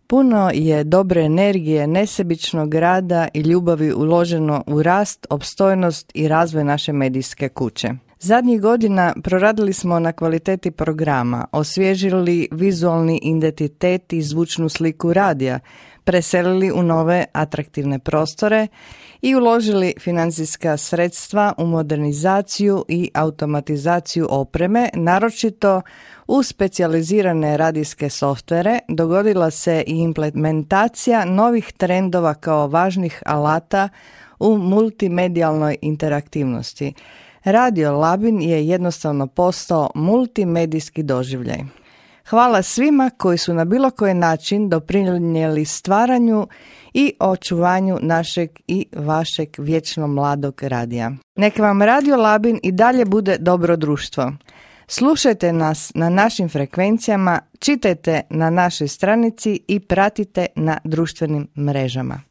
Puno je dobre energije, nesebičnog rada i ljubavi uloženo u rast, opstojnost i razvoj naše medijske kuće. Zadnjih godina proradili smo na kvaliteti programa, osvježili vizualni identitet i zvučnu sliku radija, preselili u nove atraktivne prostore i uložili financijska sredstva u modernizaciju i automatizaciju opreme, naročito u specijalizirane radijske softvere. Dogodila se i implementacija novih trendova kao važnih alata u multimedijalnoj interaktivnosti. Radio Labin je jednostavno postao multimedijski doživljaj. Hvala svima koji su na bilo koji način doprinijeli stvaranju i očuvanju našeg i vašeg vječno mladog radija. Neka vam Radio Labin i dalje bude dobro društvo. Slušajte nas na našim frekvencijama, čitajte na našoj stranici i pratite na društvenim mrežama.